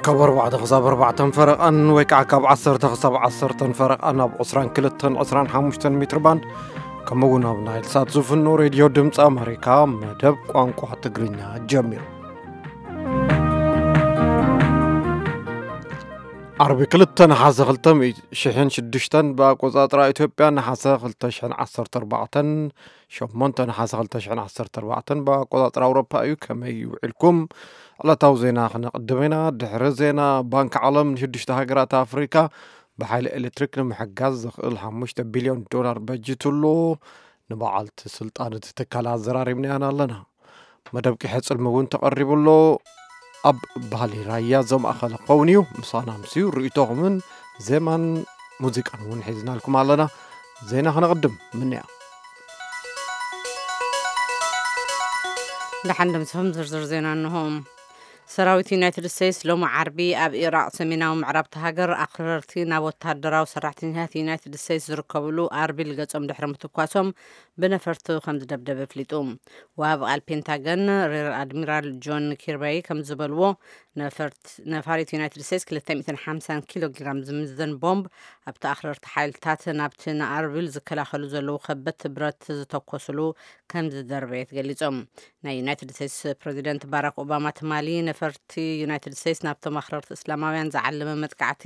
ካብ ኣርባዕተ ክሳብ ኣርባዕተን ፈረቓን ወይ ከዓ ካብ ዓሰርተ ክሳብ ዓሰርተን ፈረቓን ኣብ ዕስራን ክልተን ዕስራን ሓሙሽተን ሜትር ባንድ፣ ከምኡ እውን ኣብ ናይል ሳት ዝፍኖ ሬድዮ ድምፂ ኣመሪካ መደብ ቋንቋ ትግርኛ ጀሚሩ። ዓርቢ ክልተ ነሓሰ ክልተ ሚእቲ ሽሕን ሽዱሽተን ብኣቆፃፅራ ኢትዮጵያ፣ ነሓሰ ክልተ ሽሕን ዓሰርተ ኣርባዕተን፣ ሸሞንተ ነሓሰ ክልተ ሽሕን ዓሰርተ ኣርባዕተን ብኣቆፃፅራ ኣውሮፓ እዩ። ከመይ ውዒልኩም? ዕለታዊ ዜና ክነቕድም ኢና። ድሕሪ ዜና፣ ባንክ ዓለም ንሽዱሽተ ሃገራት ኣፍሪካ ብሓይሊ ኤሌክትሪክ ንምሕጋዝ ዘኽእል ሓሙሽተ ቢልዮን ዶላር በጂቱ ኣሎ። ንበዓልቲ ስልጣን እቲ ትካል ኣዘራሪብናያን ኣለና። መደብ ቂሐ ጽልሚ እውን ተቐሪቡ ኣሎ። ኣብ ባህሊ ራያ ዘማእኸለ ክኸውን እዩ። ምሳና ምስዩ ርእይቶኹምን ዜማን ሙዚቃን እውን ሒዝናልኩም ኣለና። ዜና ክነቕድም ምንያ። ደሓን ድምፅኹም ዝርዝር ዜና እንሆ። ሰራዊት ዩናይትድ ስቴትስ ሎሚ ዓርቢ ኣብ ኢራቕ ሰሜናዊ ምዕራብ እታ ሃገር ኣኽረርቲ ናብ ወታደራዊ ሰራሕተኛታት ዩናይትድ ስቴትስ ዝርከብሉ ኣርቢል ገጾም ድሕሪ ምትኳሶም ብነፈርቲ ከም ዝደብደበ ኣፍሊጡ። ወሃቢ ቃል ፔንታገን ሬር ኣድሚራል ጆን ኪርባይ ከም ዝበልዎ፣ ነፈርት-፣ ነፋሪት ዩናይትድ ስቴትስ ክልተ ሚእትን ሓምሳን ኪሎ ግራም ዝምዘን ቦምብ ኣብቲ ኣኽረርቲ ሓይልታት ናብቲ ንኣርቢል ዝከላኸሉ ዘለዉ ከበድቲ ብረት ዝተኮስሉ ከም ዝደርበየት ገሊጾም። ናይ ዩናይትድ ስቴትስ ፕሬዚደንት ባራክ ኦባማ ትማሊ ነፈርቲ ዩናይትድ ስቴትስ ናብቶም ኣኽረርቲ እስላማውያን ዝዓለመ መጥቃዕቲ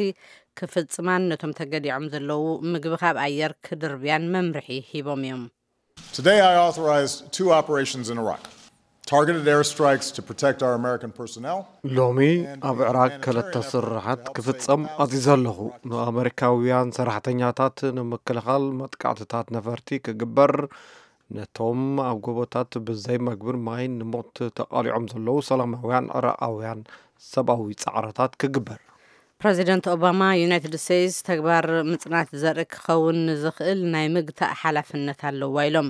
ክፍጽማን ነቶም ተገዲዖም ዘለዉ ምግቢ ካብ ኣየር ክድርብያን መምርሒ ሂቦም እዮም። Today I authorized two operations in Iraq. Targeted airstrikes to protect our American personnel. ሎሚ ኣብ ዕራቅ ክልተ ስርሓት ክፍጸም ኣዚዘ ኣለኹ። ንኣመሪካውያን ሰራሕተኛታት ንምክልኻል መጥቃዕትታት ነፈርቲ ክግበር፣ ነቶም ኣብ ጎቦታት ብዘይ መግብን ማይን ንሞት ተቓሊዖም ዘለዉ ሰላማውያን ዕራቓውያን ሰብኣዊ ጻዕርታት ክግበር። ፕረዚደንት ኦባማ፣ ዩናይትድ ስቴትስ ተግባር ምጽናት ዘርኢ ክኸውን ንዝኽእል ናይ ምግታእ ሓላፍነት ኣለዋ ኢሎም።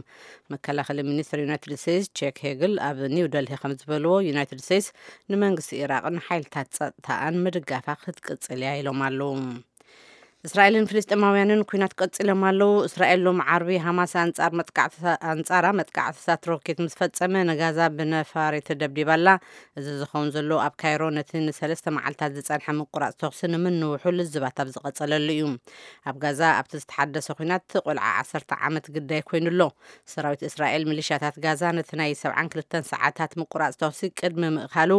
መከላኸሊ ሚኒስትር ዩናይትድ ስቴትስ ቼክ ሄግል ኣብ ኒው ደልሂ ከም ዝበልዎ፣ ዩናይትድ ስቴትስ ንመንግስቲ ኢራቕን ሓይልታት ጸጥታኣን ምድጋፋ ክትቅጽል እያ ኢሎም ኣለዉ። እስራኤልን ፍልስጤማውያንን ኲናት ቀጺሎም ኣለዉ። እስራኤል ሎም ዓርቢ ሃማስ ኣንጻር መጥቃዕትታ-፣ ኣንጻራ መጥቃዕትታት ሮኬት ምስ ፈጸመ፣ ንጋዛ ብነፋሪት ደብዲባ ኣላ። እዚ ዝኸውን ዘሎ ኣብ ካይሮ ነቲ ንሰለስተ መዓልታት ዝጸንሐ ምቁራጽ ተኹሲ ንምንውሑ ልዝባት ኣብ ዝቐጸለሉ እዩ። ኣብ ጋዛ ኣብቲ ዝተሓደሰ ኲናት ቆልዓ ዓሰርተ ዓመት ግዳይ ኮይኑ ኣሎ። ሰራዊት እስራኤል ሚሊሻታት ጋዛ ነቲ ናይ ሰብዓን ክልተን ሰዓታት ምቁራጽ ተኹሲ ቅድሚ ምእካሉ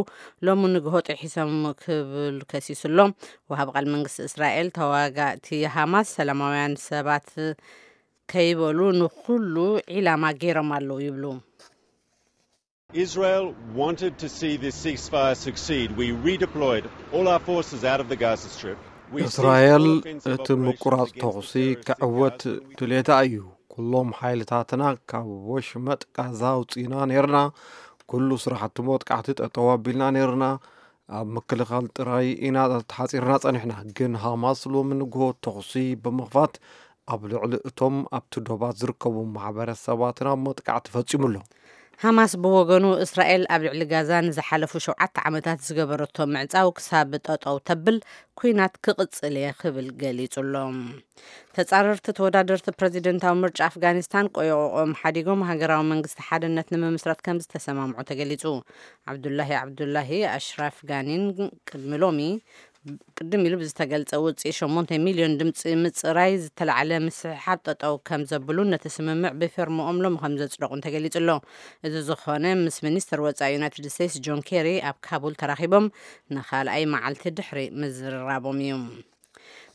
ሎሚ ንግሆ ጥሒሶም ክብል ከሲሱ ኣሎ። ወሃብ ቃል መንግስቲ እስራኤል፣ ተዋጋእቲ ሃማስ ሰላማውያን ሰባት ከይበሉ ንኹሉ ዒላማ ገይሮም ኣለዉ ይብሉ። Israel wanted to see this ceasefire succeed. We redeployed all our forces out of the Gaza Strip. We ceased እስራኤል all offensive እቲ operations ምቁራጽ against ተኹሲ the terrorist in ክዕወት Gaza, and we ድሌታ እዩ። ኩሎም ሓይልታትና ካብ ወሽመጥ ጋዛ ኣውጺና ነርና። ኩሉ ስራሕቲ መጥቃዕቲ ጠጠው ኣቢልና ነርና። ኣብ ምክልኻል ጥራይ ኢና ተሓጺርና ጸኒሕና። ግን ሃማስ ሎሚ ንግሆ ተኹሲ ብምኽፋት ኣብ ልዕሊ እቶም ኣብቲ ዶባት ዝርከቡ ማሕበረሰባትና መጥቃዕቲ ፈጺሙ ኣሎ። ሃማስ ብወገኑ፣ እስራኤል ኣብ ልዕሊ ጋዛ ንዝሓለፉ ሸውዓተ ዓመታት ዝገበረቶ ምዕጻው ክሳብ ጠጠው ተብል ኲናት ክቕጽል እየ ክብል ገሊጹ ኣሎ። ተጻረርቲ ተወዳደርቲ ፕረዚደንታዊ ምርጫ ኣፍጋኒስታን ቆዮቆኦም ሓዲጎም ሃገራዊ መንግስቲ ሓድነት ንምምስራት ከም ዝተሰማምዑ ተገሊጹ። ዓብዱላሂ ዓብዱላሂ ኣሽራፍ ጋኒን ቅድሚ ሎሚ ቅድም ኢሉ ብዝተገልጸ ውጽኢት ሸሞንተ ሚልዮን ድምጺ ምጽራይ ዝተላዕለ ምስሕሓብ ጠጠው ከም ዘብሉን ነቲ ስምምዕ ብፊርምኦም ሎሚ ከም ዘጽደቑን ተገሊጹ ኣሎ። እዚ ዝኾነ ምስ ሚኒስትር ወጻኢ ዩናይትድ ስቴትስ ጆን ኬሪ ኣብ ካቡል ተራኺቦም ንኻልኣይ መዓልቲ ድሕሪ ምዝርራቦም እዩ።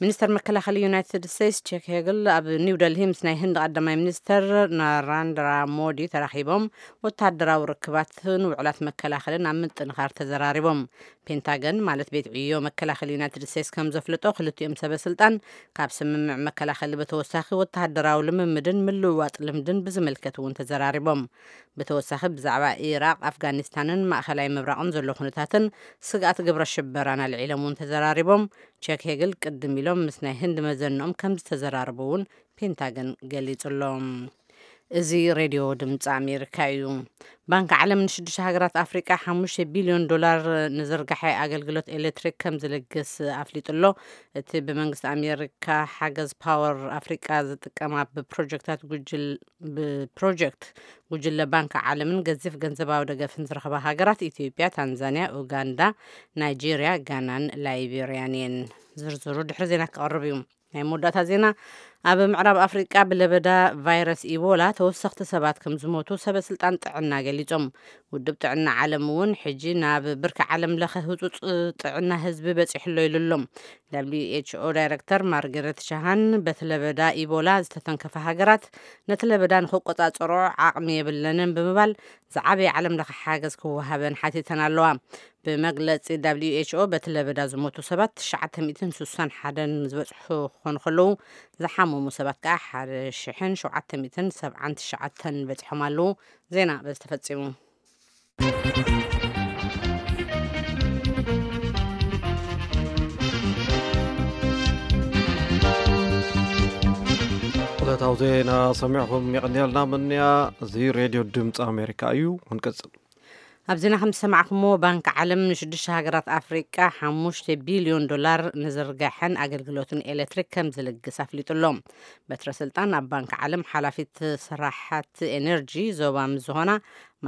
ሚኒስተር መከላኸሊ ዩናይትድ ስቴትስ ቼክ ሄግል ኣብ ኒው ደልሂ ምስ ናይ ህንዲ ቀዳማይ ሚኒስተር ናራንድራ ሞዲ ተራኺቦም ወታደራዊ ርክባትን ውዕላት መከላኸልን ኣብ ምጥንኻር ተዘራሪቦም። ፔንታገን ማለት ቤት ዕዮ መከላኸሊ ዩናይትድ ስቴትስ ከም ዘፍለጦ፣ ክልቲኦም ሰበ ስልጣን ካብ ስምምዕ መከላኸሊ ብተወሳኺ ወታደራዊ ልምምድን ምልውዋጥ ልምድን ብዝምልከት እውን ተዘራሪቦም። ብተወሳኺ ብዛዕባ ኢራቕ፣ ኣፍጋኒስታንን ማእኸላይ ምብራቕን ዘሎ ኩነታትን ስግኣት ግብረ ሽበራን ኣልዒሎም እውን ተዘራሪቦም። ቼክ ሄግል ቅድም ኢሎም ምስ ናይ ህንዲ መዘንኦም ከም ዝተዘራረቡ እውን ፔንታገን ገሊጹ ኣሎ። እዚ ሬድዮ ድምፂ ኣሜሪካ እዩ። ባንክ ዓለም ንሽዱሽተ ሃገራት ኣፍሪቃ ሓሙሽተ ቢልዮን ዶላር ንዝርጋሐ ኣገልግሎት ኤሌክትሪክ ከም ዝልግስ ኣፍሊጡ ኣሎ። እቲ ብመንግስቲ ኣሜሪካ ሓገዝ ፓወር ኣፍሪቃ ዝጥቀማ ብፕሮጀክታት ጉጅል ብፕሮጀክት ጉጅለ ባንክ ዓለምን ገዚፍ ገንዘባዊ ደገፍን ዝረኸባ ሃገራት ኢትዮጵያ፣ ታንዛንያ፣ ኡጋንዳ፣ ናይጄርያ፣ ጋናን ላይቤርያን እየን። ዝርዝሩ ድሕሪ ዜና ክቐርብ እዩ። ናይ መወዳእታ ዜና። ኣብ ምዕራብ ኣፍሪቃ ብለበዳ ቫይረስ ኢቦላ ተወሰኽቲ ሰባት ከም ዝሞቱ ሰበ ስልጣን ጥዕና ገሊጾም። ውድብ ጥዕና ዓለም እውን ሕጂ ናብ ብርኪ ዓለም ለኸ ህጹጽ ጥዕና ህዝቢ በጺሕሎ ኢሉ ኣሎ። ደብሊዩ ኤች ኦ ዳይረክተር ማርገሬት ሻሃን በቲ ለበዳ ኢቦላ ዝተተንከፈ ሃገራት ነቲ ለበዳ ንክቆጻጸሮ ዓቕሚ የብለንን ብምባል ዝዓበየ ዓለም ለኸ ሓገዝ ክወሃበን ሓቲተን ኣለዋ። ብመግለጺ ደብሊዩ ኤች ኦ በቲ ለበዳ ዝሞቱ ሰባት ትሽዓተ ሚእትን ስሳን ሓደን ዝበጽሑ ክኾኑ ከለዉ ዝሓመሙ ሰባት ከኣ ሓደ ሽሕን ሸውዓተ ሚእትን ሰብዓን ትሽዓተን በጺሖም ኣለዉ። ዜና በዚ ተፈጺሙ። ዕለታዊ ዜና ሰሚዕኹም የቐንየልና ምንያ። እዚ ሬድዮ ድምፂ ኣሜሪካ እዩ። ክንቅፅል። ኣብ ዜና ከም ዝሰማዕኩሞ፣ ባንክ ዓለም ንሽዱሽተ ሃገራት ኣፍሪቃ ሓሙሽተ ቢልዮን ዶላር ንዝርጋሐን ኣገልግሎትን ኤሌክትሪክ ከም ዝልግስ ኣፍሊጡ ኣሎ። በትረ ስልጣን ኣብ ባንክ ዓለም ሓላፊት ስራሓት ኤነርጂ ዞባ ምስ ዝኾና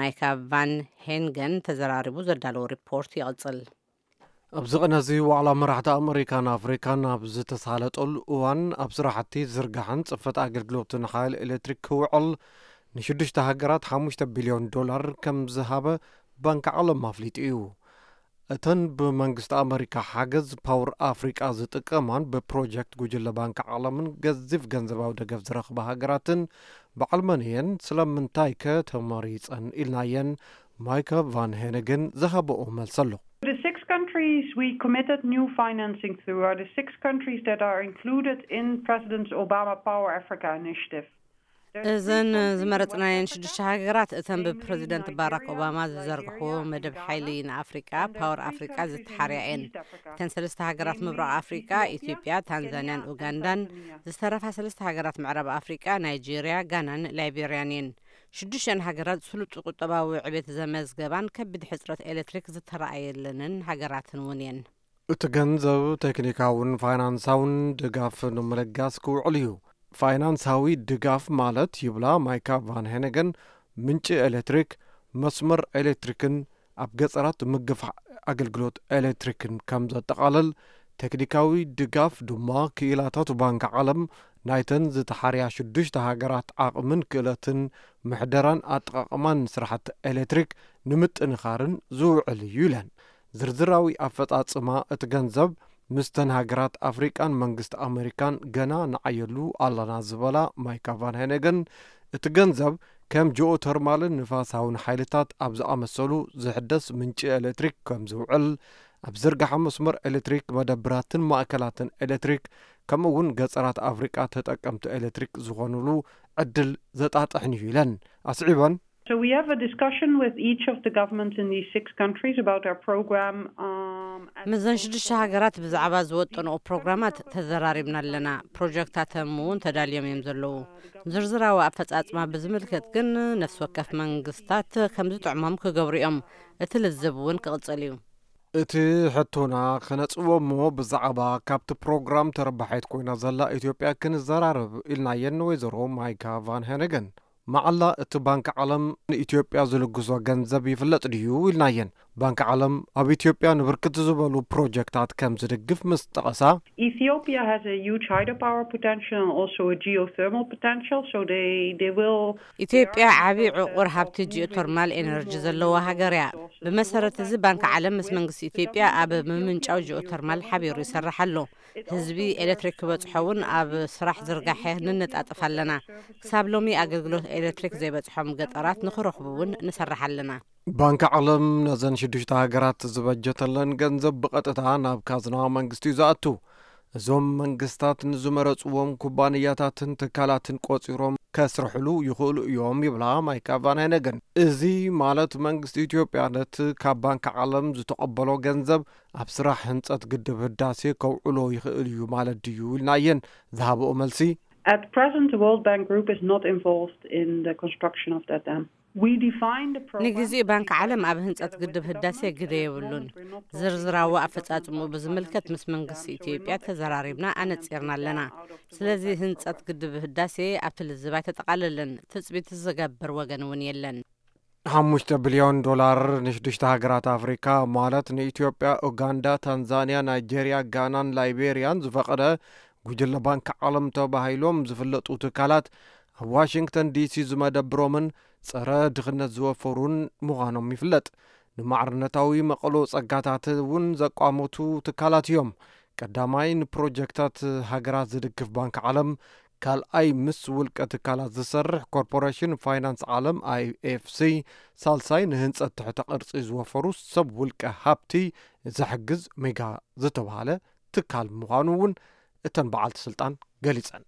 ማይካ ቫን ሄንገን ተዘራሪቡ ዘዳለዎ ሪፖርት ይቕጽል። ኣብዚ ቅነ እዚ ዋዕላ መራሕቲ ኣመሪካን ኣፍሪካን ኣብ ዝተሳለጠሉ እዋን፣ ኣብ ስራሕቲ ዝርጋሕን ጽፈት ኣገልግሎትን ሓይሊ ኤሌክትሪክ ክውዕል ንሽዱሽተ ሃገራት ሓሙሽተ ቢልዮን ዶላር ከም ዝሃበ ባንክ ዓለም ኣፍሊጡ እዩ። እተን ብመንግስቲ ኣመሪካ ሓገዝ ፓወር ኣፍሪቃ ዝጥቀማን ብፕሮጀክት ጉጅለ ባንክ ዓለምን ገዚፍ ገንዘባዊ ደገፍ ዝረኽባ ሃገራትን በዓል መን እየን? ስለምንታይ ከ ተመሪጸን? ኢልናየን። ማይከ ቫን ሄነገን ዝሃበኦ መልሲ ኣሎ። The six countries we committed new financing to are the six countries that are included in President Obama Power Africa initiative. There's three እዘን countries ዝመረጽናየን one hundred percent ሽዱሽተ ሃገራት እተን ብፕሬዚደንት ባራክ ኦባማ ዝዘርግሕዎ መደብ ሓይሊ ንኣፍሪቃ ፓወር ኣፍሪቃ ዝተሓርያ እየን። እተን ሰለስተ ሃገራት ምብራቕ ኣፍሪቃ፣ ኢትዮጵያ፣ ታንዛንያን ኡጋንዳን፣ ዝተረፋ ሰለስተ ሃገራት ምዕራብ ኣፍሪቃ፣ ናይጄርያ፣ ጋናን ላይቤርያን እየን። ሽዱሽተን ሃገራት ስሉጥ ቁጠባዊ ዕቤት ዘመዝገባን ከቢድ ሕጽረት ኤሌክትሪክ ዝተረኣየለንን ሃገራትን እውን እየን። እቲ ገንዘብ ቴክኒካውን ፋይናንሳውን ድጋፍ ንምልጋስ ክውዕል እዩ። ፋይናንሳዊ ድጋፍ ማለት፣ ይብላ ማይካ ቫን ሄነገን፣ ምንጪ ኤሌክትሪክ፣ መስመር ኤሌክትሪክን ኣብ ገጸራት ምግፋሕ ኣገልግሎት ኤሌክትሪክን ከም ዘጠቓልል፣ ቴክኒካዊ ድጋፍ ድማ ክኢላታት ባንክ ዓለም ናይተን ዝተሓርያ ሽዱሽተ ሃገራት ዓቕምን ክእለትን ምሕደራን ኣጠቓቕማን ስራሕቲ ኤሌክትሪክ ንምጥንኻርን ዝውዕል እዩ ኢለን። ዝርዝራዊ ኣፈጻጽማ እቲ ገንዘብ ምስተን ሃገራት ኣፍሪቃን መንግስቲ ኣመሪካን ገና ንዓየሉ ኣለና ዝበላ ማይካ ቫን ሄነገን፣ እቲ ገንዘብ ከም ጂኦተርማልን ንፋሳውን ሓይልታት ኣብ ዝኣመሰሉ ዝሕደስ ምንጪ ኤሌክትሪክ ከም ዝውዕል፣ ኣብ ዝርጋሐ መስመር ኤሌክትሪክ፣ መደብራትን ማእከላትን ኤሌክትሪክ፣ ከምኡ እውን ገጸራት ኣፍሪቃ ተጠቀምቲ ኤሌክትሪክ ዝኾኑሉ ዕድል ዘጣጥሕን እዩ ኢለን። ኣስዒበን። So we have a discussion with each of the governments in these six countries about our program. Um, and ምስዘን ሽዱሽተ ሃገራት ብዛዕባ ዝወጠንኦ ፕሮግራማት ተዘራሪብና ኣለና። ፕሮጀክታቶም እውን ተዳልዮም እዮም ዘለዉ። ዝርዝራዊ ኣፈጻጽማ ብዝምልከት ግን ነፍሲ ወከፍ መንግስታት ከም ዝጥዕሞም ክገብሩ እዮም። እቲ ልዝብ እውን ክቕጽል እዩ። እቲ ሕቶና ክነጽዎ እሞ ብዛዕባ ካብቲ ፕሮግራም ተረባሒት ኮይና ዘላ ኢትዮጵያ ክንዘራረብ ኢልናየን ንወይዘሮ ማይካ ቫን ሄነገን። መዓላ እቲ ባንክ ዓለም ንኢትዮጵያ ዝልግሶ ገንዘብ ይፍለጥ ድዩ ኢልናየን። ባንክ ዓለም ኣብ ኢትዮጵያ ንብርክት ዝበሉ ፕሮጀክታት ከም ዝድግፍ ምስ ጠቐሳ፣ Ethiopia has a huge hydropower potential and also a geothermal potential, so they, they will ኢትዮጵያ ዓቢ ዕቑር ሃብቲ ጂኦተርማል ኤነርጂ ዘለዋ ሃገር እያ። ብመሰረት እዚ ባንክ ዓለም ምስ መንግስቲ ኢትዮጵያ ኣብ ምምንጫው ጂኦተርማል ሓቢሩ ይሰርሕ ኣሎ። ህዝቢ ኤሌክትሪክ ክበጽሖ እውን ኣብ ስራሕ ዝርጋሐ ንነጣጥፍ ኣለና። ክሳብ ሎሚ ኣገልግሎት ኤሌክትሪክ ዘይበጽሖም ገጠራት ንኽረኽቡ እውን ንሰርሕ ኣለና። ባንክ ዓለም ነዘን ሽዱሽተ ሃገራት ዝበጀተለን ገንዘብ ብቐጥታ ናብ ካዝና መንግስቲ እዩ ዝኣቱ። እዞም መንግስታት ንዝመረጽዎም ኩባንያታትን ትካላትን ቆጺሮም ከስርሕሉ ይኽእሉ እዮም ይብላ ማይካ ቫን ሄነገን። እዚ ማለት መንግስቲ ኢትዮጵያ ነቲ ካብ ባንክ ዓለም ዝተቐበሎ ገንዘብ ኣብ ስራሕ ህንጸት ግድብ ህዳሴ ከውዕሎ ይኽእል እዩ ማለት ድዩ ኢልናየን። ዝሃበኦ መልሲ፣ At present, the World Bank Group is not involved in the construction of that dam. We define the program. ንግዜኡ ባንክ ዓለም ኣብ ህንጸት ግድብ ህዳሴ ግደ የብሉን። ዝርዝራዊ ኣፈጻጽምኡ ብዝምልከት ምስ መንግስቲ ኢትዮጵያ ተዘራሪብና ኣነጺርና ኣለና። ስለዚ ህንጸት ግድብ ህዳሴ ኣብቲ ልዝብ ኣይተጠቓለለን። ትጽቢት ዝገብር ወገን እውን የለን። ሓሙሽተ ቢልዮን ዶላር ንሽዱሽተ ሃገራት ኣፍሪካ ማለት ንኢትዮጵያ፣ ኡጋንዳ፣ ታንዛንያ፣ ናይጄርያ፣ ጋናን ላይቤርያን ዝፈቐደ ጉጅለ ባንክ ዓለም ተባሂሎም ዝፍለጡ ትካላት ኣብ ዋሽንግተን ዲሲ ዝመደብሮምን ጸረ ድኽነት ዝወፈሩን ምዃኖም ይፍለጥ። ንማዕርነታዊ መቐሎ ጸጋታት እውን ዘቋመቱ ትካላት እዮም። ቀዳማይ ንፕሮጀክታት ሃገራት ዝድግፍ ባንክ ዓለም፣ ካልኣይ ምስ ውልቀ ትካላት ዝሰርሕ ኮርፖሬሽን ፋይናንስ ዓለም ኣይኤፍሲ፣ ሳልሳይ ንህንጸት ትሕተ ቅርጺ ዝወፈሩ ሰብ ውልቀ ሃብቲ ዘሕግዝ ሜጋ ዝተባሃለ ትካል ምዃኑ እውን እተን በዓልቲ ስልጣን ገሊጸን።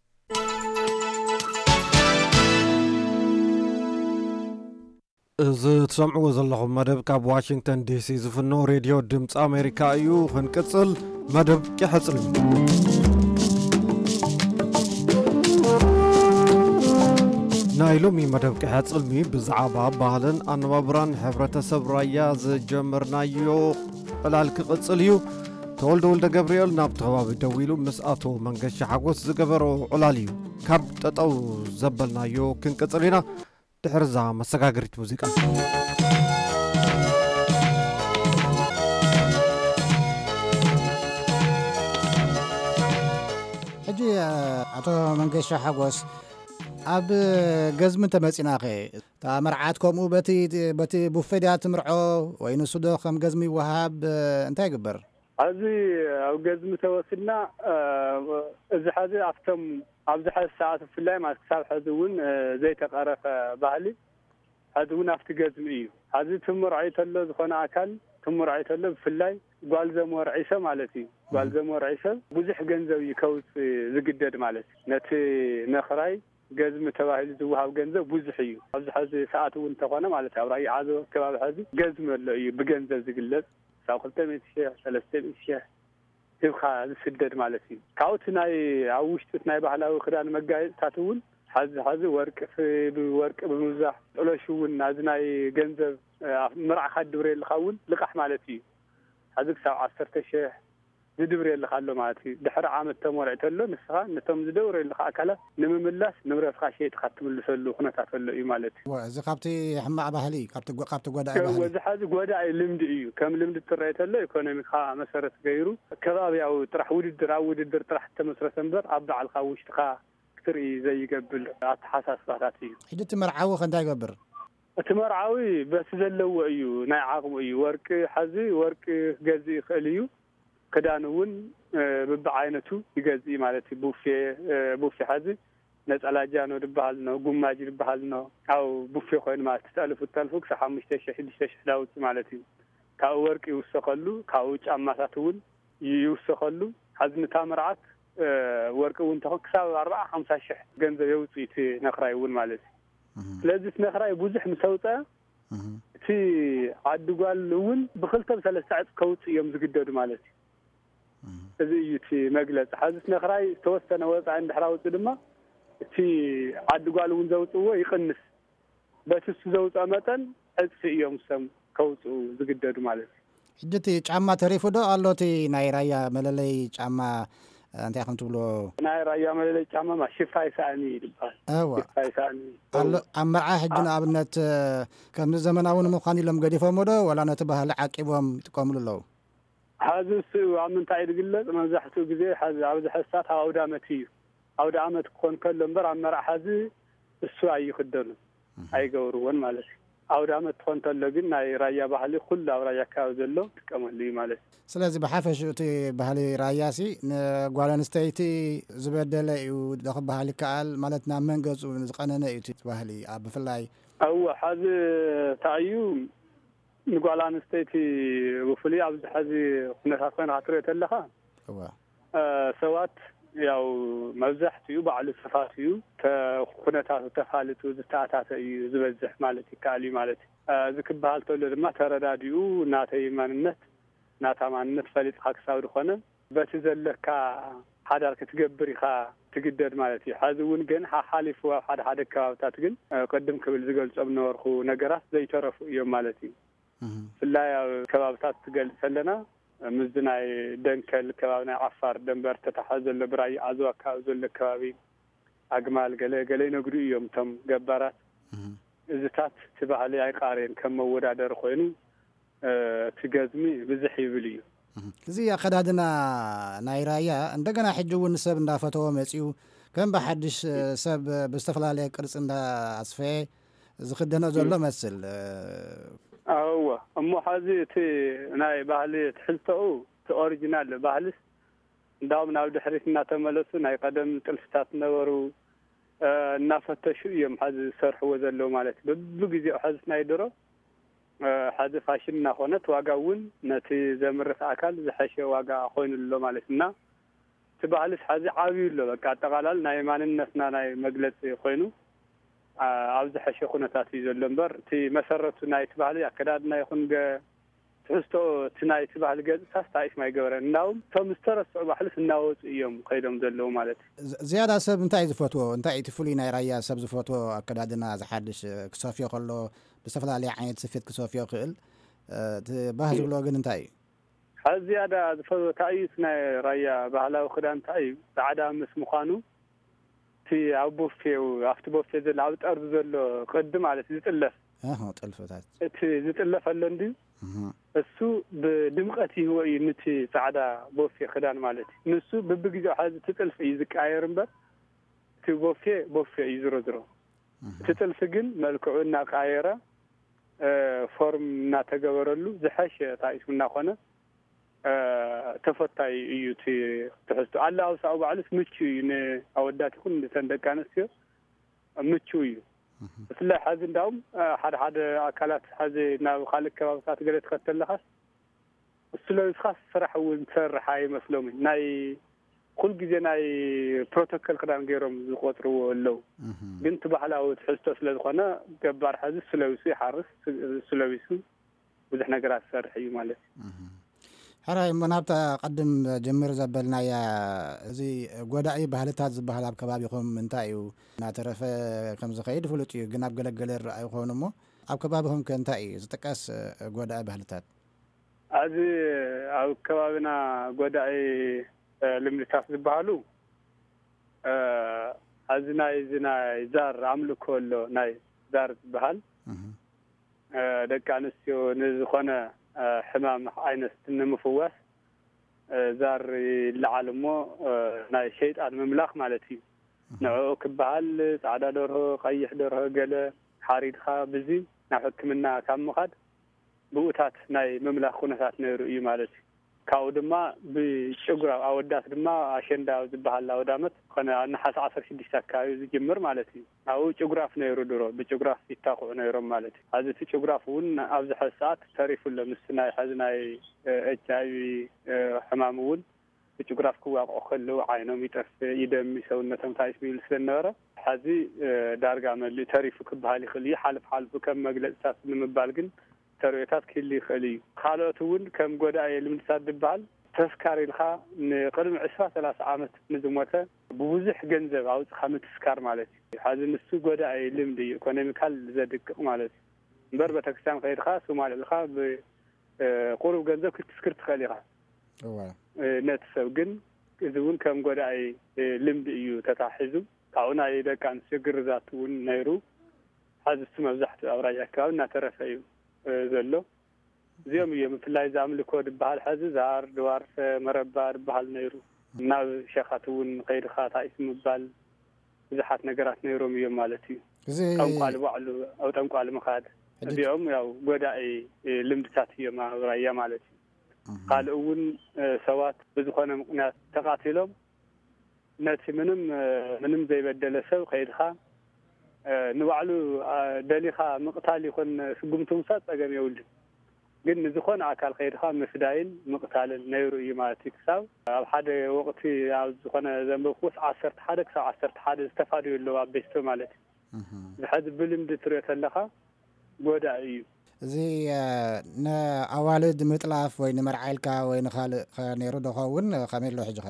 እዚ ትሰምዕዎ ዘለኹም መደብ ካብ ዋሽንግተን ዲሲ ዝፍኖ ሬድዮ ድምፂ ኣሜሪካ እዩ። ክንቅፅል መደብ ቂሐ ፅልሚ። ናይ ሎሚ መደብ ቂሐ ፅልሚ ብዛዕባ ባህልን ኣነባብራን ሕብረተሰብ ራያ ዝጀመርናዮ ዕላል ክቕፅል እዩ። ተወልደ ወልደ ገብርኤል ናብቲ ከባቢ ደዊሉ ምስ ኣቶ መንገሻ ሓጎስ ዝገበሮ ዕላል እዩ። ካብ ጠጠው ዘበልናዮ ክንቅፅል ኢና። ድሕርዛ መሰጋገሪት ሙዚቃ። ሕጂ ኣቶ መንገሻ ሓጎስ፣ ኣብ ገዝሚ እንተመፂናኸ፣ እታ መርዓት ከምኡ በቲ በቲ ቡፌ ድያ ትምርዖ፣ ወይ ንሱ ዶ ከም ገዝሚ ይወሃብ? እንታይ ይግበር? ኣብዚ ኣብ ገዝሚ ተወሲድና፣ እዚ ሐዚ ኣብቶም ኣብዚ ሐዚ ሰዓት ብፍላይ ማለት ክሳብ ሐዚ እውን ዘይተቐረፈ ባህሊ ሐዚ እውን ኣብቲ ገዝሚ እዩ። ሐዚ ትምርዖ ተሎ ዝኾነ ኣካል ትምርዖ ተሎ ብፍላይ ጓል ዘምወርዒ ሰብ ማለት እዩ። ጓል ዘምወርዒ ሰብ ብዙሕ ገንዘብ እዩ ከውፅእ ዝግደድ ማለት እዩ። ነቲ ነኽራይ ገዝሚ ተባሂሉ ዝወሃብ ገንዘብ ብዙሕ እዩ። ኣብዚ ሐዚ ሰዓት እውን እንተኾነ ማለት ኣብ ራያ ዓዘቦ ከባቢ ሐዚ ገዝሚ ኣሎ እዩ ብገንዘብ ዝግለፅ። ክሳብ ክልተ ሚእቲ ሺሕ፣ ሰለስተ ሚእቲ ሺሕ ሂብካ ዝስደድ ማለት እዩ። ካብኡ እቲ ናይ ኣብ ውሽጢ እቲ ናይ ባህላዊ ክዳን መጋየፅታት እውን ሐዚ ሐዚ ወርቂ ፍ- ብወርቂ ብምብዛሕ ጥሎሽ እውን ናዚ ናይ ገንዘብ ኣብ ምርዓኻ ድብረየልኻ እውን ልቃሕ ማለት እዩ። ሐዚ ክሳብ ዓሰርተ ሺሕ ዝድብረየልኻ ኣሎ ማለት እዩ። ድሕሪ ዓመት ተመርዒ ተሎ ንስኻ ነቶም ዝደብረየልኻ ኣካላት ንምምላስ ንብረትኻ ሸይጥካ ትምልሰሉ ኩነታት ኣሎ እዩ ማለት እዩ። እወ፣ እዚ ካብቲ ሕማቕ ባህሊ እዩ፣ ካብቲ ጎ- ካብቲ ጎዳኢ እወ፣ ባህሊ። እዚ ሐዚ ጎዳኢ ልምዲ እዩ። ከም ልምዲ ትረአ ተሎ ኢኮኖሚካ መሰረት ገይሩ ከባቢያዊ ጥራሕ ውድድር ኣብ ውድድር ጥራሕ ተመስረተ እምበር ኣብ ባዕልካ ውሽጥካ ክትርኢ ዘይገብር ኣተሓሳስባታት እዩ። ሕጂ እቲ መርዓዊ ከ እንታይ ይገብር? እቲ መርዓዊ በቲ ዘለዎ እዩ፣ ናይ ዓቕሙ እዩ። ወርቂ ሐዚ ወርቂ ክገዝእ ይኽእል እዩ። ክዳን እውን ብብዓይነቱ ይገዝእ ማለት እዩ። ቡፌ ቡፌ ሐዚ ነፀላ ጃኖ ዝበሃል ኖ፣ ጉማጅ ዝበሃል ኖ፣ ኣብ ቡፌ ኮይኑ ማለት ትጠልፉ ትጠልፉ ክሳብ ሓሙሽተ ሺሕ ሽዱሽተ ሺሕ ዳውፅእ ማለት እዩ። ካብኡ ወርቂ ይውሰኸሉ፣ ካብኡ ጫማታት እውን ይውሰኸሉ። ሐዚ ንታ መርዓት ወርቂ እውን ተኾን ክሳብ ኣርባዓ ሓምሳ ሺሕ ገንዘብ የውፅእ እቲ ነኽራይ እውን ማለት እዩ። ስለዚ እቲ ነኽራይ ብዙሕ ምስ ኣውፀአ እቲ ዓዲ ጓል እውን ብክልተ ብሰለስተ ዕፅ ከውፅእ እዮም ዝግደዱ ማለት እዩ። እዚ እዩ እቲ መግለፂ። ሐዚ እቲ ነኽራይ ዝተወሰነ ወፃኢ እንድሕር ኣውፅእ ድማ እቲ ዓዲ ጓል እውን ዘውፅእዎ ይቕንስ። በቲ እሱ ዘውፅኦ መጠን ዕፅፊ እዮም ሰም ከውፅኡ ዝግደዱ ማለት እዩ። ሕጂ እቲ ጫማ ተሪፉ ዶ ኣሎ? እቲ ናይ ራያ መለለይ ጫማ እንታይ ከም ትብሎ? ናይ ራያ መለለይ ጫማ ማ ሽፋይ ሳእኒ ይባሃል። እወ። ሽፋይ ሳእኒ ኣሎ። ኣብ መርዓ ሕጂ ንኣብነት ከምዚ ዘመናዊ ንምዃን ኢሎም ገዲፎሞ ዶ ዋላ ነቲ ባህሊ ዓቂቦም ይጥቀምሉ ኣለዉ? ሐዚ እሱ ኣብ ምንታይ እዩ ዝግለፅ? መብዛሕትኡ ግዜ ሐዚ ኣብዚ ሕሳት ኣብ ኣውዳመት እዩ። ኣውደ ዓመት ክኾን ከሎ እምበር ኣብ መርዓ ሐዚ እሱ ኣይኽደኑን ኣይገብርዎን ማለት እዩ። ኣውደ ዓመት ትኾን ተሎ ግን ናይ ራያ ባህሊ ኩሉ ኣብ ራያ ኣከባቢ ዘሎ ይጥቀመሉ እዩ ማለት እዩ። ስለዚ ብሓፈሽኡ እቲ ባህሊ ራያሲ ንጓል ኣንስተይቲ ዝበደለ እዩ ዶ ክበሃል ይከኣል? ማለት ናብ መንገጹ ዝቐነነ እዩ እቲ ባህሊ ኣብ ብፍላይ እወ፣ ሐዚ እንታይ እዩ ንጓል ኣንስተይቲ ብፍሉይ ኣብዚ ሐዚ ኩነታት ኮይንካ ክትሪኦ ተለኻ እወ። ሰባት ያው መብዛሕትኡ ባዕሉ ተፋትዩ ተ- ኩነታቱ ተፋልጡ ዝተኣታተ እዩ ዝበዝሕ ማለት ይከኣል እዩ ማለት እዩ። እዚ ክበሃል ተሎ ድማ ተረዳዲኡ ናተይ ማንነት ናታ ማንነት ፈሊጥካ ክሳብ ዝኾነ በቲ ዘለካ ሓዳር ክትገብር ኢኻ ትግደድ ማለት እዩ። ሕዚ እውን ግን ሓሓሊፉ ኣብ ሓደ ሓደ ከባብታት ግን፣ እ፣ ቅድም ክብል ዝገልጾም ነበርኩ ነገራት ዘይተረፉ እዮም ማለት እዩ። እህ። ብፍላይ ኣብ ከባብታት ትገልጽ ኣለና፣ ምስዚ ናይ ደንከል ከባቢ ናይ ዓፋር ደንበር ተታሓ ዘሎ ብራይ ዓዘዋ ከባቢ ዘሎ ከባቢ ኣግማል ገለ ገለ ይነግዱ እዮም እቶም ገባራት። እህ። እዚታት እቲ ባህሊ ኣይቃረየን ከም መወዳደሪ ኮይኑ፣ እ፣ እቲ ገዝሚ ብዝሕ ይብል እዩ። እህ። እዚ ኣኸዳድና ናይ ራያ እንደገና ሕጂ እውን ሰብ እንዳፈተዎ መጺኡ ከም ብሓድሽ፣ እ፣ ሰብ ብዝተፈላለየ ቅርጺ እንዳኣስፈየ ዝኽደኖ ዘሎ መስል። እ፣ እወ፣ እሞ ሐዚ እቲ ናይ ባህሊ ትሕዝቶኡ እቲ ኦሪጂናል ባህልስ እንዳውም ናብ ድሕሪት እናተመለሱ ናይ ቀደም ጥልፍታት ነበሩ፣ እ፣ እናፈተሹ እዮም ሐዚ ዝሰርሕዎ ዘለዉ ማለት እዩ። በብግዜኡ ሐዚ ናይ ድሮ፣ እ፣ ሐዚ ፋሽን እናኾነት ዋጋ እውን ነቲ ዘምርት ኣካል ዝሐሸ ዋጋ ኮይኑ ኣሎ ማለት እዩ። እና እቲ ባህልስ ሐዚ ዓብዩ ኣሎ። በቃ ኣጠቓላሊ ናይ ማንነትና ናይ መግለጺ ኮይኑ፣ ኣ-፣ ኣብ ዝሐሸ ኩነታት እዩ ዘሎ እምበር እቲ መሰረቱ ናይቲ ባህሊ ኣከዳድና ይኹን ገ-፣ ትሕዝቶ እቲ ናይቲ ባህሊ ገጽታስ ታሪፍ ማይገበረን። እንዳውም እቶም ዝተረስዑ ባህልስ እናወጹ እዮም ከይዶም ዘለዉ ማለት እዩ። ዝ-፣ ዝያዳ ሰብ እንታይ እዩ ዝፈትዎ? እንታይ እዩ እቲ ፍሉይ ናይ ራያ ሰብ ዝፈትዎ ኣከዳድና ዝሓድሽ፣ እ፣ ክሰፍዮ ከሎ ብዝተፈላለየ ዓይነት ስፌት ክሰፍዮ ይኽእል። እ፣ እቲ ባህ ዝብሎ ግን እንታይ እዩ? ካብ ዝያዳ ዝፈትዎ እንታይ እዩ? እቲ ናይ ራያ ባህላዊ ክዳን እንታይ እዩ? ጻዕዳ ምስ ምዃኑ እቲ ኣብ ቦፌ፣ ኣብቲ ቦፌ ዘሎ፣ ኣብ ጠርዚ ዘሎ ቅዲ ማለት እዩ ዝጥለፍ። ኣሆ፣ ጥልፍታት። እቲ ዝጥለፍ ኣሎ እንድዩ፣ እህ። እሱ ብድምቐት ይህቦ እዩ ንቲ ጻዕዳ ቦፌ ክዳን ማለት እዩ። ንሱ ብብግዜኡ ሓዚ እቲ ጥልፊ እዩ ዝቀያየር እምበር፣ እቲ ቦፌ፣ ቦፌ እዩ ዝሮ ዝሮ። እህ። እቲ ጥልፊ ግን መልክዑ እናቀያየረ፣ እ፣ ፎርም እናተገበረሉ ዝሐሸ ታሪፍ እናኾነ፣ እ፣ ተፈታዊ እዩ እቲ ትሕዝቶ። ኣለባብሳኡ ባዕሉስ ምቹ እዩ፣ ንኣወዳት ይኹን ንተን ደቂ ኣንስትዮ ምቹ እዩ። እህ። ብፍላይ ሐዚ እንዳውም፣ እ፣ ሓደ ሓደ ኣካላት ሐዚ ናብ ካልእ ከባብታት ገለ ትኸድ ተለኻስ፣ እሱ ለቢስኻስ ስራሕ እውን ትሰርሕ ኣይመስሎምን። ናይ ኩል ግዜ ናይ ፕሮቶኮል ክዳን ገይሮም ዝቆጽርዎ ኣለዉ። እህ። ግን እቲ ባህላዊ ትሕዝቶ ስለ ዝኾነ ገባር ሐዚ እሱ ለቢሱ ይሓርስ፣ እሱ ለቢሱ ብዙሕ ነገራት ዝሰርሕ እዩ ማለት እዩ። እህ። ሕራይ እሞ ናብታ ቀድም ጀምር ዘበልናያ፣ እዚ ጎዳኢ ባህልታት ዝበሃል ኣብ ከባቢኹም እንታይ እዩ? እናተረፈ ከም ዝኸይድ ፍሉጥ እዩ፣ ግን ኣብ ገለገለ ይረኣዩ ይኾኑ እሞ ኣብ ከባቢኹም ከ እንታይ እዩ ዝጥቀስ፣ እ፣ ጎዳኢ ባህልታት? ኣብዚ ኣብ ከባቢና ጎዳኢ፣ እ፣ ልምድታት ዝበሃሉ፣ እ፣ ኣብዚ ናይ እዚ ናይ ዛር ኣምልኮ ኣሎ፣ ናይ ዛር ዝበሃል፣ እህ። እ፣ ደቂ ኣንስትዮ ንዝኾነ፣ እ፣ ሕማም ዓይነት ንምፍዋስ፣ እ፣ ዛር ይለዓል እሞ፣ እ፣ ናይ ሸይጣን ምምላኽ ማለት እዩ። እህ። ንዕኡ ክበሃል ጻዕዳ ደርሆ፣ ቀይሕ ደርሆ ገለ ሓሪድኻ ብዚ ናብ ሕክምና ካብ ምኻድ ብኡታት ናይ ምምላኽ ኩነታት ነይሩ እዩ ማለት እዩ። ካብኡ ድማ ብጭጉራ ኣወዳት ድማ ኣሸንዳ ኣብ ዝበሃል ኣውዳመት ኮነ ኣብ ነሓሰ ዓሰርተ ሽዱሽተ ኣካባቢ ዝጅምር ማለት እዩ። ኣብኡ ጭጉራፍ ነይሩ ድሮ፣ ብጭጉራፍ ይታኽዑ ነይሮም ማለት እዩ። ሕዚ እቲ ጭጉራፍ እውን ኣብዚ ሐዚ ሰዓት ተሪፉ ኣሎ። ምስ ናይ ሕዚ ናይ፣ እ፣ ኤች ኣይ ቪ፣ እ፣ ሕማም እውን ብጭጉራፍ ክዋቕዑ ከለዉ ዓይኖም ይጠፍእ፣ ይደሚ፣ ሰውነቶም ታይት ሚል ስለ ዝነበረ፣ ሕዚ፣ እ፣ ዳርጋ መሊኡ ተሪፉ ክበሃል ይኽእል እዩ። ሓልፍ ሓልፉ ከም መግለጽታት ንምባል ግን ተርእዮታት ክህሉ ይኽእል እዩ። ካልኦት እውን ከም ጎዳኢ ልምድታት ዝበሃል ተስካር ኢልካ ንቅድሚ ዕስራ ሰላሳ ዓመት ንዝሞተ ብብዙሕ ገንዘብ ኣውፅኻ ምትስካር ማለት እዩ። ሕዚ ንሱ ጎዳኢ ልምዲ እዩ፣ ኢኮኖሚካል ዘድቅቕ ማለት እዩ። እምበር ቤተክርስትያን ከይድካ ሱም ኣልዒልካ ብ-፣ እ፣ ቁሩብ ገንዘብ ክትስክር ትኽእል ኢኻ። እዋ። እ፣ ነቲ ሰብ ግን እዚ እውን ከም ጎዳኢ፣ እ፣ ልምዲ እዩ ተታሒዙ። ካብኡ ናይ ደቂ ኣንስትዮ ግርዛት እውን ነይሩ። ሕዚ እሱ መብዛሕትኡ ኣብ ራያ ኣከባቢ እናተረፈ እዩ፣ እ፣ ዘሎ። እዚኦም እዮም ብፍላይ እዚ ኣምልኮ ዝበሃል ሕዚ ዛር፣ ድዋርፈ፣ መረባ ዝበሃል ነይሩ። ናብ ሸኻት እውን ከይድኻ ታኢስ ምባል ብዙሓት ነገራት ነይሮም እዮም ማለት እዩ። እዚ ጠንቋሊ ባዕሉ ኣብ ጠንቋሊ ምኻድ፣ ሕጂ እዚኦም ያው ጎዳኢ፣ እ፣ ልምድታት እዮም ኣብ ራያ ማለት እዩ። እህ። ካልእ እውን፣ እ፣ ሰባት ብዝኾነ ምኽንያት ተቓቲሎም ነቲ ምንም፣ እ፣ ምንም ዘይበደለ ሰብ ከይድኻ፣ እ፣ ንባዕሉ፣ እ፣ ደሊኻ ምቕታል ይኹን ስጉምቲ ምውሳድ ጸገም የብሉን። ግን ንዝኾነ ኣካል ከይድኻ ምፍዳይን ምቕታልን ነይሩ እዩ ማለት እዩ። ክሳብ ኣብ ሓደ ወቕቲ ኣብ ዝኾነ ዘንበብኩዎስ ዓሰርተ ሓደ ክሳብ ዓሰርተ ሓደ ዝተፋደዩ ኣለዉ ኣብ ቤስቶ ማለት እዩ። እህ። እዚ ሕዚ ብልምዲ ትሪኦ ተለኻ ጎዳኢ እዩ። እዚ ንኣዋልድ ምጥላፍ ወይ ንመርዓ ኢልካ ወይ ንኻልእ ነይሩ ዶ ኸውን? ከመይ ኣሎ ሕጂ ኸ?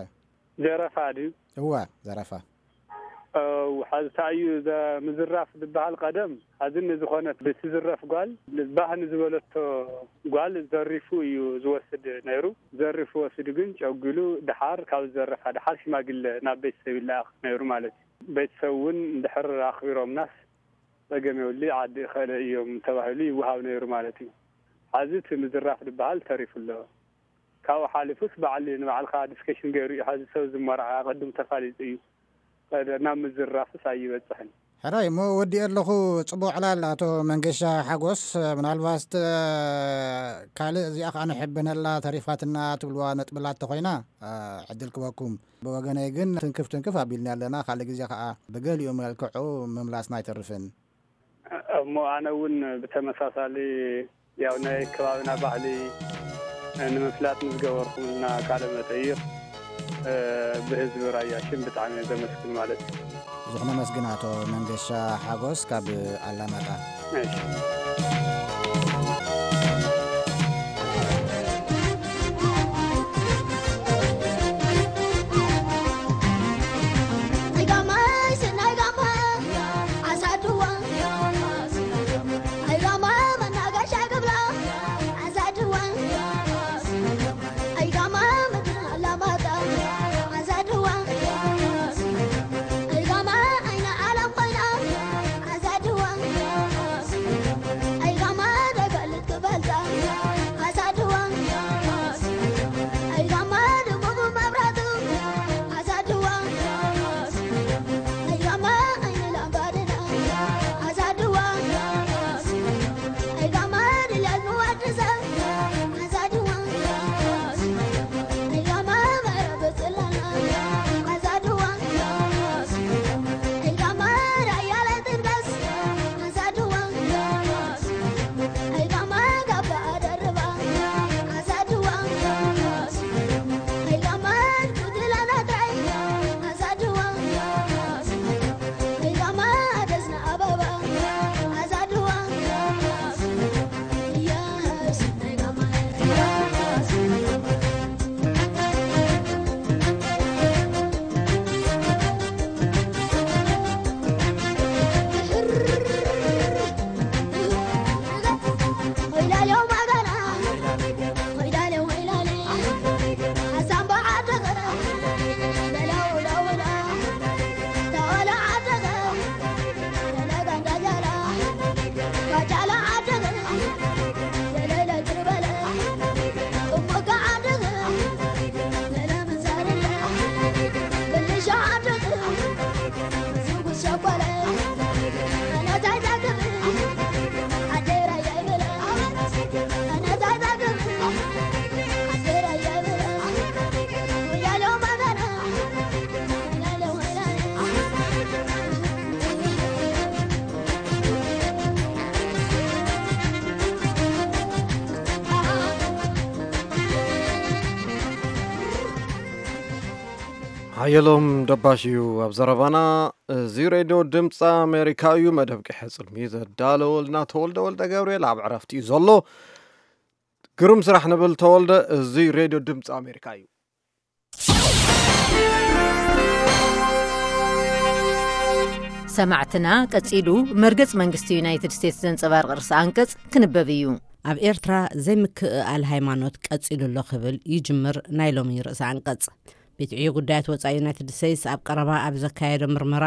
ዘረፋ ድዩ? እዋ፣ ዘረፋ። ሓዚ እንታይ እዩ ምዝራፍ ዝበሃል? ቀደም ሓዚ ንዝኾነት ብትዝረፍ ጓል ባህ ንዝበለቶ ጓል ዘሪፉ እዩ ዝወስድ ነይሩ። ዘሪፉ ወሲዱ ግን ጨጒሉ ድሓር ካብ ዝዘረፋ ድሓር ሽማግለ ናብ ቤተሰብ ይለኣኽ ነይሩ ማለት እዩ። ቤተሰብ እውን ድሕር ኣኽቢሮምናስ ጸገም የብሉ፣ ዓዲ ይኸእለ እዮም ተባሂሉ ይወሃብ ነይሩ ማለት እዩ። ሓዚ እቲ ምዝራፍ ዝበሃል ተሪፉ ኣሎ። ካብኡ ሓሊፉስ ባዕሊ ንባዕልኻ ዲስከሽን ገይሩ እዩ። ሓዚ ሰብ ዝመርዓ ኣቐድሙ ተፋሊጡ እዩ። ናብ ምዝራፍስ ኣይበጽሕን። ሕራይ እሞ ወዲኤ ኣለኹ። ጽቡቕ ዕላል ኣቶ መንገሻ ሓጎስ። ምናልባት ካልእ እዚኣ ከኣ ንሕብነላ ተሪፋትና ትብልዋ ነጥብላ ተኾይና ዕድል ክበኩም። ብወገነይ ግን ትንክፍ ትንክፍ ኣቢልና ኣለና። ካልእ ግዜ ከኣ ብገሊኡ መልክዑ ምምላስና ኣይተርፍን። እሞ ኣነ እውን ብተመሳሳሊ ያው ናይ ከባብና ባህሊ ንምፍላጥ ንዝገበርኩምልና ቃለ መጠይቕ ብህዝቢ ራያ ሽም ብጣዕሚ እየ ዘመስግን ማለት እዩ። ብዙሕ ነመስግን ኣቶ መንገሻ ሓጎስ ካብ ኣላማጣ። እሺ። ሓየሎም ደባሽ እዩ ኣብ ዘረባና። እዚ ሬድዮ ድምፂ ኣሜሪካ እዩ። መደብ ቅሐ ፅልሚ ዘዳለወልና ተወልደ ወልደ ገብርኤል ኣብ ዕረፍቲ እዩ ዘሎ። ግሩም ስራሕ ንብል ተወልደ። እዚ ሬድዮ ድምፂ ኣሜሪካ እዩ። ሰማዕትና፣ ቀጺሉ መርገጽ መንግስቲ ዩናይትድ ስቴትስ ዘንጸባርቕ ርእሰ ኣንቀጽ ክንበብ እዩ። ኣብ ኤርትራ ዘይምክእኣል ሃይማኖት ቀጺሉ ኣሎ ክብል ይጅምር ናይ ሎሚ ርእሰ ኣንቀጽ። ቤት ዕዮ ጉዳያት ወጻኢ ዩናይትድ ስቴትስ ኣብ ቀረባ ኣብ ዘካየዶ ምርመራ፣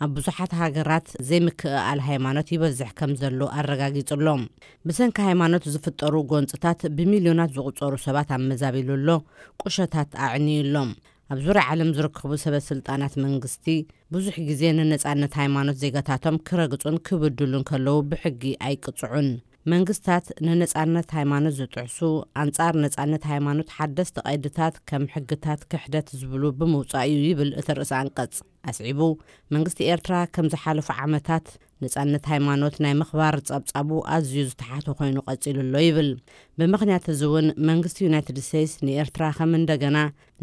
ኣብ ብዙሓት ሃገራት ዘይምክእኣል ሃይማኖት ይበዝሕ ከም ዘሎ ኣረጋጊጹ ኣሎ። ብሰንኪ ሃይማኖት ዝፍጠሩ ጎንጽታት ብሚልዮናት ዝቑጸሩ ሰባት ኣመዛቢሉ ኣሎ፣ ቁሸታት ኣዕንዩ ኣሎ። ኣብ ዙርያ ዓለም ዝርከቡ ሰበ ስልጣናት መንግስቲ ብዙሕ ግዜ ንነጻነት ሃይማኖት ዜጋታቶም ክረግጹን ክብድሉን ከለዉ ብሕጊ ኣይቅጽዑን። መንግስታት ንነጻነት ሃይማኖት ዝጥሕሱ፣ ኣንጻር ነጻነት ሃይማኖት ሓደስቲ ቀይድታት ከም ሕግታት ክሕደት ዝብሉ ብምውጻእ እዩ ይብል እቲ ርእሰ ኣንቀጽ። ኣስዒቡ፣ መንግስቲ ኤርትራ ከም ዝሓለፉ ዓመታት ነጻነት ሃይማኖት ናይ ምኽባር ጸብጻቡ ኣዝዩ ዝተሓተ ኮይኑ ቀጺሉ ኣሎ ይብል። ብምኽንያት እዚ እውን መንግስቲ ዩናይትድ ስቴትስ ንኤርትራ ከም እንደገና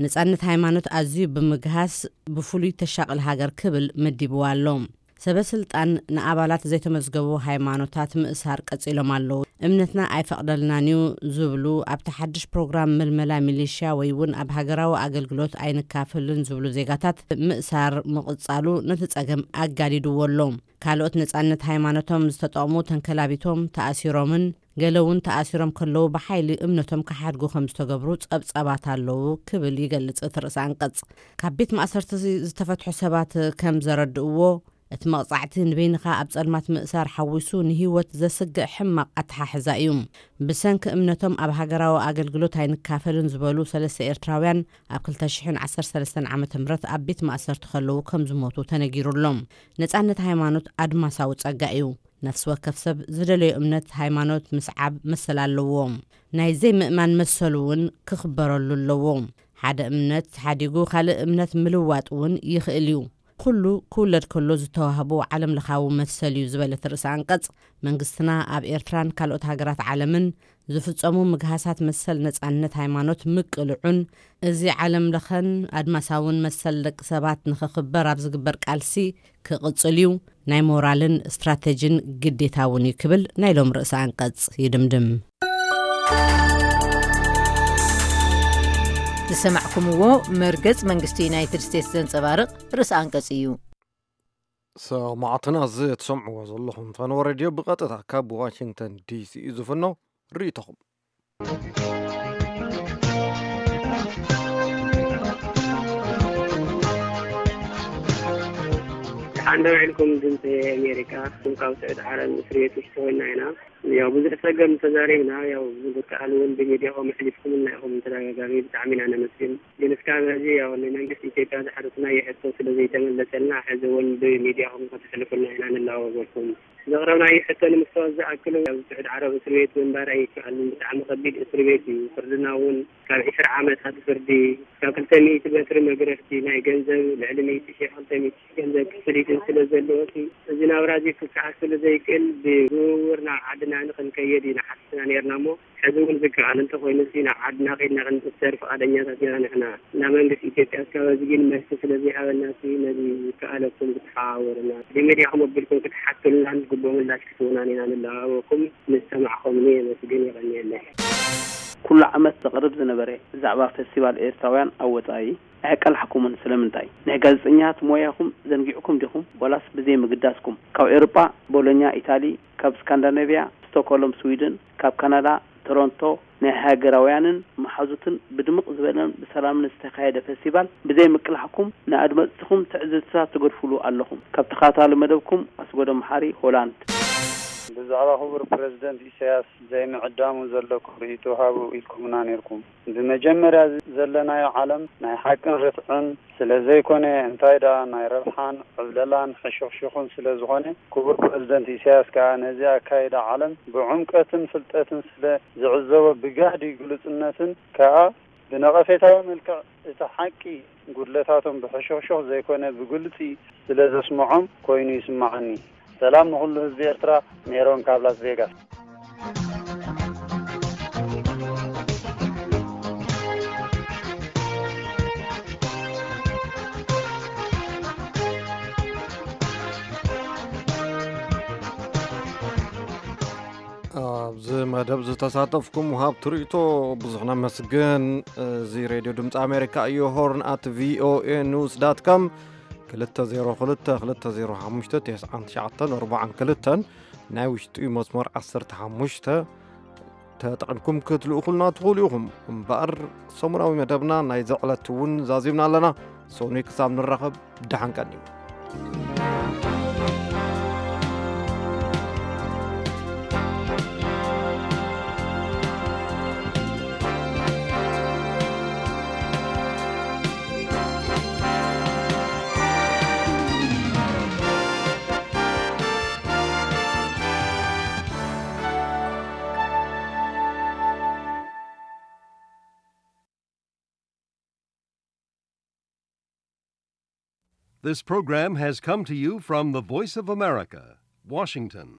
ነጻነት ሃይማኖት ኣዝዩ ብምግሃስ ብፍሉይ ተሻቕል ሃገር ክብል መዲብዋ ኣሎ። ሰበስልጣን ንኣባላት ዘይተመዝገቡ ሃይማኖታት ምእሳር ቀጺሎም ኣለዉ። እምነትና ኣይፈቕደልናን እዩ ዝብሉ ኣብቲ ሓድሽ ፕሮግራም ምልመላ ሚሊሽያ ወይ እውን ኣብ ሃገራዊ ኣገልግሎት ኣይንካፍልን ዝብሉ ዜጋታት ምእሳር ምቕጻሉ ነቲ ጸገም ኣጋዲድዎ ኣሎ። ካልኦት ነጻነት ሃይማኖቶም ዝተጠቕሙ ተንከላቢቶም ተኣሲሮምን ገለ እውን ተኣሲሮም ከለዉ ብሓይሊ እምነቶም ክሓድጉ ከም ዝተገብሩ ጸብጻባት ኣለዉ ክብል ይገልጽ እቲ ርእሰ ኣንቀጽ። ካብ ቤት ማእሰርቲ ዝተፈትሑ ሰባት ከም ዘረድእዎ፣ እቲ መቕጻዕቲ ንበይንኻ ኣብ ጸልማት ምእሳር ሓዊሱ ንህይወት ዘስግእ ሕማቕ ኣተሓሕዛ እዩ። ብሰንኪ እምነቶም ኣብ ሃገራዊ ኣገልግሎት ኣይንካፈልን ዝበሉ ሰለስተ ኤርትራውያን ኣብ ክልተ ሽሕን ዓሰርተ ሰለስተን ዓመተ ምህረት ኣብ ቤት ማእሰርቲ ከለዉ ከም ዝሞቱ ተነጊሩ ኣሎ። ነጻነት ሃይማኖት ኣድማሳዊ ጸጋ እዩ። ነፍሲ ወከፍ ሰብ ዝደለዮ እምነት ሃይማኖት ምስዓብ መሰል ኣለዎ። ናይ ዘይምእማን መሰሉ እውን ክኽበረሉ ኣለዎ። ሓደ እምነት ሓዲጉ ካልእ እምነት ምልዋጥ እውን ይኽእል እዩ። ኩሉ ክውለድ ከሎ ዝተዋህቦ ዓለም ለኻዊ መሰል እዩ ዝበለት ርእሰ ኣንቀጽ፣ መንግስትና ኣብ ኤርትራን ካልኦት ሃገራት ዓለምን ዝፍጸሙ ምግሃሳት መሰል ነጻነት ሃይማኖት ምቅልዑን፣ እዚ ዓለም ለኸን ኣድማሳውን መሰል ደቂ ሰባት ንኽኽበር ኣብ ዝግበር ቃልሲ ክቕጽል እዩ፣ ናይ ሞራልን ስትራተጂን ግዴታ እውን እዩ ክብል ናይ ሎም ርእሰ ኣንቀጽ ይድምድም። ዝሰማዕኩምዎ መርገጽ መንግስቲ ዩናይትድ ስቴትስ ዘንጸባርቕ ርእሰ ኣንቀጽ እዩ። ሰማዕትና፣ እዚ ትሰምዕዎ ዘለኹም ፈነወ ሬድዮ ብቐጥታ ካብ ዋሽንግተን ዲሲ እዩ ዝፍኖ። ርእይቶኹም። ደሓን ዶ ውዒልኩም? ድምፂ ኣሜሪካ። ካብ ስዑድ ዓረብ እስር ቤት ውሽጢ ኮይና ኢና። ያው ብዙሕ ፀገም ተዛሪብና። ያው ብዝከኣል እውን ብሚድያኹም ኣሕሊፍኩምልና ኢኹም ተደጋጋሚ። ብጣዕሚ ኢና ነመስግን። ግን እስካብ ሕዚ ያው ንመንግስቲ ኢትዮጵያ ዝሓተትናዮ ሕቶ ስለ ዘይተመለሰልና፣ ሕዚ እውን ብሚድያኹም ከተሕልፉልና ኢና ንላወበኩም። ዘቕረብናዮ ሕቶ ንምስትዋስ ዝኣክል፣ ኣብ ስዑድ ዓረብ እስር ቤት ምንባር ኣይከኣልን። ብጣዕሚ ከቢድ እስር ቤት እዩ። ፍርድና እውን ካብ ዒስራ ዓመታት ፍርዲ፣ ካብ ክልተ ሚእቲ በትሪ መግረፍቲ፣ ናይ ገንዘብ ልዕሊ ሚእቲ ሺሕ፣ ክልተ ሚእቲ ሺሕ ገንዘብ ክፍሊትን ስለ ዘለዎ፣ እቲ፣ እዚ ናብራ እዚ ክከኣል ስለ ዘይክእል፣ ብዝውውር ናብ ዓድና ንኽንከየድ ኢና ሓቲትና ነርና እሞ፣ ሕዚ እውን ዝከኣል እንተኾይኑ፣ እቲ ናብ ዓድና ከይድና ክንእሰር ፍቓደኛታት ኢና ንሕና። ናብ መንግስቲ ኢትዮጵያ እስካብ ሕዚ ግን መልሲ ስለ ዘይሃበና፣ እቲ ነዚ ዝከኣለኩም ክትሓባበሩና፣ ብሚድያኹም ኣቢልኩም ክትሓቱልናን ግቡእ ምላሽ ክትህቡናን ኢና ንለዋወኩም። ምስ ሰማዕኹምኒ የመስግን፣ የቐንየለይ። ኩሉ ዓመት ዘቕርብ ዝነበረ ብዛዕባ ፈስቲቫል ኤርትራውያን ኣብ ወጻኢ ኣይቀላሕኩምን። ስለምንታይ? ናይ ጋዜጠኛታት ሞያኹም ዘንጊዕኩም ዲኹም? ዋላስ ብዘይ ምግዳስኩም? ካብ ኤውሮጳ፣ ቦሎኛ፣ ኢታሊ፣ ካብ ስካንዳናቪያ፣ ስቶክሆልም፣ ስዊድን፣ ካብ ካናዳ፣ ቶሮንቶ፣ ናይ ሃገራውያንን መሓዙትን ብድምቕ ዝበለን ብሰላምን ዝተኻየደ ፈስቲቫል ብዘይ ምቅላሕኩም ንኣድመጽትኹም ትዕዝብትታት ትገድፉሉ ኣለኹም። ካብ ተኸታታሊ መደብኩም ኣስጎዶም መሓሪ፣ ሆላንድ። ብዛዕባ ክቡር ፕረዚደንት ኢሳያስ ዘይምዕዳሙ ዘለኩም ርእይቶ ሃቡ ኢልኩምና ነይርኩም። ብመጀመርያ ዘለናዮ ዓለም ናይ ሓቅን ርትዕን ስለ ዘይኮነ፣ እንታይ ደኣ ናይ ረብሓን ዕብለላን ሕሹኽሹኽን ስለ ዝኾነ፣ ክቡር ፕረዚደንት ኢሳያስ ከኣ ነዚ ኣካይዳ ዓለም ብዕምቀትን ፍልጠትን ስለ ዝዕዘቦ፣ ብጋህዲ ግሉጽነትን ከኣ ብነቐፌታዊ መልክዕ እቲ ሓቂ ጉድለታቶም ብሕሹኽሹኽ ዘይኮነ ብግልጺ ስለ ዘስምዖም ኮይኑ ይስምዓኒ። ሰላም ንኹሉ ህዝቢ ኤርትራ። ሜሮን ካብ ላስ ቬጋስ። ኣብዚ መደብ ዝተሳተፍኩም ወሃብቲ ርእይቶ ብዙሕ ነመስግን። እዚ ሬድዮ ድምፂ ኣሜሪካ እዩ። ሆርን ኣት ቪኦኤ ኒውስ ዳት ኮም፣ ክልተ ዜሮ ክልተ ክልተ ዜሮ ሓሙሽተ ተስዓን ትሽዓተን ኣርባዓን ክልተን፣ ናይ ውሽጢ መስመር ዓሰርተ ሓሙሽተ ተጠቒምኩም ክትልእኹልና ትኽእሉ ኢኹም። እምበኣር ሰሙናዊ መደብና ናይዚ ዕለት እውን ዛዚምና ኣለና። ሰኑይ ክሳብ ንራኸብ፣ ደሓን ቀንዩ። This program has come to you from the Voice of America, Washington.